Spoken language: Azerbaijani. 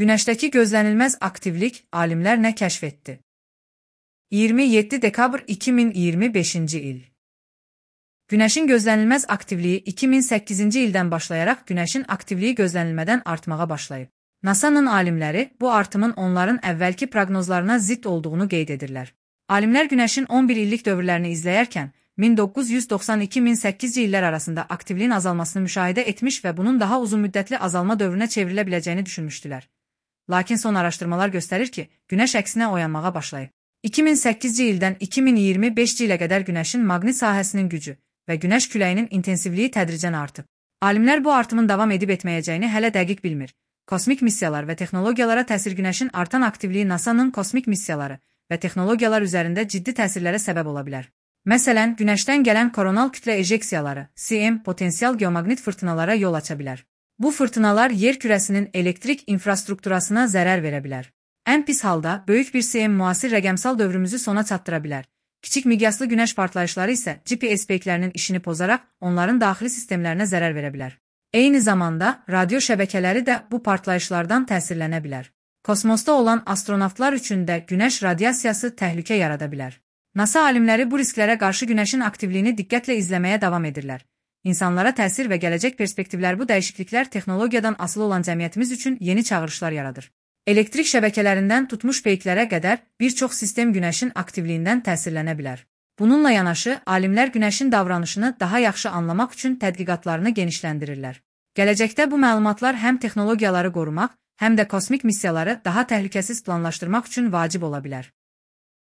Günəşdəki gözlənilməz aktivlik alimlər nə kəşf etdi? 27 dekabr 2025-ci il. Günəşin gözlənilməz aktivliyi 2008-ci ildən başlayaraq Günəşin aktivliyi gözlənilmədən artmağa başlayıb. NASA-nın alimləri bu artımın onların əvvəlki proqnozlarına zidd olduğunu qeyd edirlər. Alimlər Günəşin 11 illik dövrlərini izləyərkən 1992-2008-ci illər arasında aktivliyin azalmasını müşahidə etmiş və bunun daha uzun müddətli azalma dövrünə çevrilə biləcəyini düşünmüşdülər. Lakin son araşdırmalar göstərir ki, Günəş əksinə oyanmağa başlayıb. 2008-ci ildən 2025-ci ilə qədər Günəşin maqnit sahəsinin gücü və Günəş küləyinin intensivliyi tədricən artıb. Alimlər bu artımın davam edib etməyəcəyini hələ dəqiq bilmir. Kosmik missiyalar və texnologiyalara təsir Günəşin artan aktivliyi NASA-nın kosmik missiyaları və texnologiyalar üzərində ciddi təsirlərə səbəb ola bilər. Məsələn, Günəşdən gələn koronal kütlə ejeksiyaları, CM, potensial geomaqnit fırtınalara yol aça bilər. Bu fırtınalar yer kürəsinin elektrik infrastrukturasına zərər verə bilər. Ən pis halda, böyük bir CM müasir rəqəmsal dövrümüzü sona çatdıra bilər. Kiçik miqyaslı Günəş partlayışları isə GPS peyklərinin işini pozaraq onların daxili sistemlərinə zərər verə bilər. Eyni zamanda, radio şəbəkələri də bu partlayışlardan təsirlənə bilər. Kosmosda olan astronavtlar üçün də Günəş radiasiyası təhlükə yarada bilər. NASA alimləri bu risklərə qarşı Günəşin aktivliyini diqqətlə izləməyə davam edirlər. İnsanlara təsir və gələcək perspektivlər bu dəyişikliklər texnologiyadan asılı olan cəmiyyətimiz üçün yeni çağırışlar yaradır. Elektrik şəbəkələrindən tutmuş peyklərə qədər bir çox sistem Günəşin aktivliyindən təsirlənə bilər. Bununla yanaşı, alimlər Günəşin davranışını daha yaxşı anlamaq üçün tədqiqatlarını genişləndirirlər. Gələcəkdə bu məlumatlar həm texnologiyaları qorumaq, həm də kosmik missiyaları daha təhlükəsiz planlaşdırmaq üçün vacib ola bilər.